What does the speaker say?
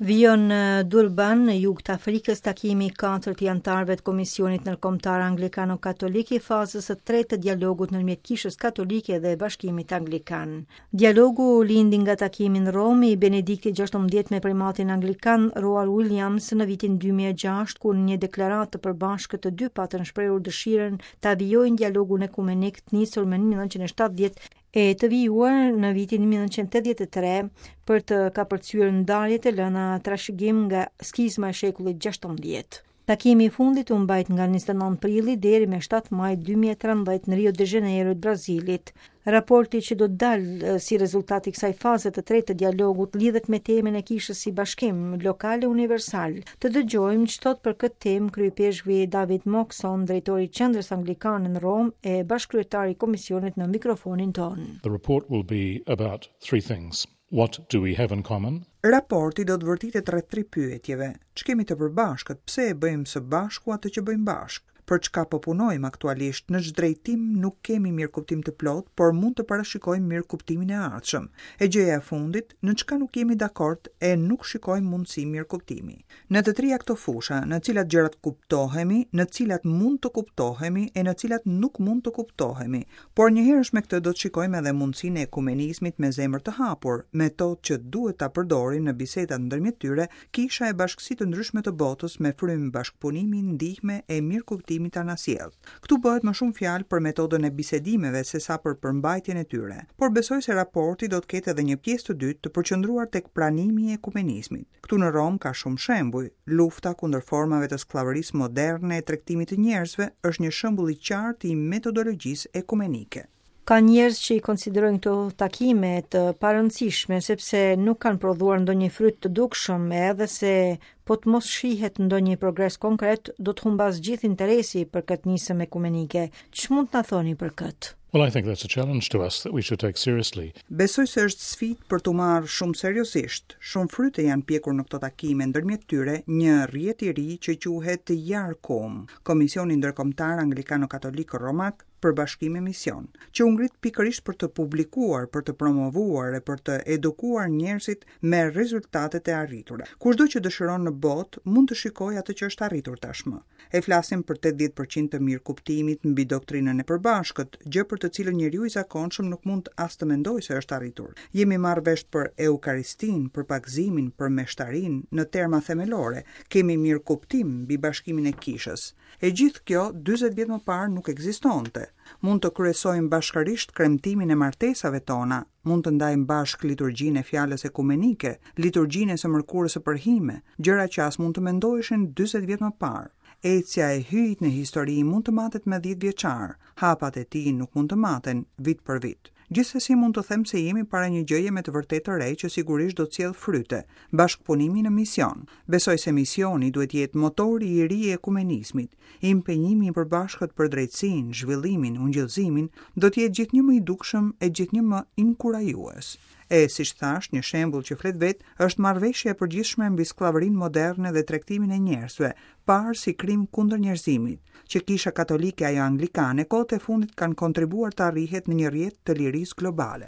Vijon në Durban, në jug të Afrikës, takimi i katërt i anëtarëve të Komisionit Ndërkombëtar Anglikano-Katolik i fazës së tretë të dialogut ndërmjet Kishës Katolike dhe Bashkimit Anglikan. Dialogu lindi nga takimi në Romë i Benediktit XVI me primatin anglikan Rowan Williams në vitin 2006, kur në një deklaratë të përbashkët të dy patën shprehur dëshirën ta vijojnë dialogun ekumenik të nisur më 1970 e të vijuar në vitin 1983 për të kapërcyer ndarjet e lëna trashëgim nga skizma e shekullit 16. Takimi i fundit u mbajt nga 29 prilli deri me 7 maj 2013 në Rio de Janeiro të Brazilit. Raporti që do të dalë si rezultat i kësaj faze të tretë të dialogut lidhet me temën e kishës si bashkim lokal e universal. Të dëgjojmë ç'thotë për këtë temë kryeipeshkvi David Moxon, drejtori i Qendrës Anglikane në Romë e bashkëkryetar i komisionit në mikrofonin tonë. The report will be about three things. What do we have in common? Raporti do të vërtitet rreth tri pyetjeve. Ç'kemi të përbashkët, pse e bëjmë së bashku atë që bëjmë bashkë? Për çka po punojmë aktualisht, në ç'drejtim nuk kemi mirëkuptim të plotë, por mund të parashikojmë mirëkuptimin e ardhshëm. E gjëja e fundit, në çka nuk jemi dakord e nuk shikojmë mundësi mirëkuptimi. Në të tria këto fusha, në cilat gjërat kuptohemi, në cilat mund të kuptohemi e në cilat nuk mund të kuptohemi. Por njëherësh me këtë do të shikojmë edhe mundësinë e ekumenizmit me zemër të hapur, metodë që duhet ta përdorin në bisedat ndërmjet tyre Kisha e bashkësi të ndryshme të botës me frymë bashkëpunimi, ndihme e mirëkuptimi të anasjelltë. Këtu bëhet më shumë fjalë për metodën e bisedimeve sesa për përmbajtjen e tyre. Por besoj se raporti do të ketë edhe një pjesë të dytë të përqendruar tek pranimi i ekumenizmit. Këtu në Romë ka shumë shembuj. Lufta kundër formave të skllavërisë moderne e tregtimit të njerëzve është një shembull i qartë i metodologjisë ekumenike. Ka njerëz që i konsiderojnë këto takime të parëndësishme sepse nuk kanë prodhuar ndonjë fryt të dukshëm, edhe se po të mos shihet ndonjë progres konkret, do të humbasë gjithë interesi për këtë nismë ekumenike. Ç'mund të na thoni për këtë? Well, I think that's a challenge to us that we should take seriously. Besoj se është sfidë për t'u marrë shumë seriozisht. Shumë fryte janë pjekur në këto takime, ndërmjet tyre një rrjet i ri që quhet IARCCUM, Komisioni Ndërkombëtar Anglikano-Katolik Romak për Bashkim e Mision, që u ngrit pikërisht për të publikuar, për të promovuar e për të edukuar njerëzit me rezultatet e arritura. Kushdo që dëshiron në botë mund të shikojë atë që është arritur tashmë. E flasim për 80% të mirëkuptimit mbi doktrinën e përbashkët, gjë për të cilën njeriu i zakonshëm nuk mund as të mendojë se është arritur. Jemi marrë vesh për Eukaristinë, për pagëzimin, për meshtarinë, në terma themelore. Kemi mirëkuptim mbi bashkimin e kishës. E gjithë kjo 40 vjet më parë nuk ekzistonte. Mund të kryesojmë bashkërisht kremtimin e martesave tona, mund të ndajmë bashkë liturgjinë e fjalës ekumenike, liturgjinë e së mërkurës së përhime, gjëra që as mund të mendoheshin 40 vjet më parë. Ecja e Hyjit në histori mund të matet me 10 vjeçar, hapat e tij nuk mund të maten vit për vit. Gjithsesi mund të them se jemi para një gjëje me të vërtetë të re që sigurisht do të sjellë fryte, bashkëpunimi në mision. Besoj se misioni duhet të jetë motori i ri i ekumenizmit. Impenjimi i përbashkët për drejtësinë, zhvillimin, ungjillëzimin do të jetë gjithnjë më i dukshëm e gjithnjë më inkurajues. E, siç thashë, një shembull që flet vetë është marrëveshja e përgjithshme mbi skllavërinë moderne dhe tregtimin e njerëzve, parë si krim kundër njerëzimit, që Kisha Katolike e ajo Anglikane kohët e fundit kanë kontribuar të arrihet në një rrjet të lirisë globale.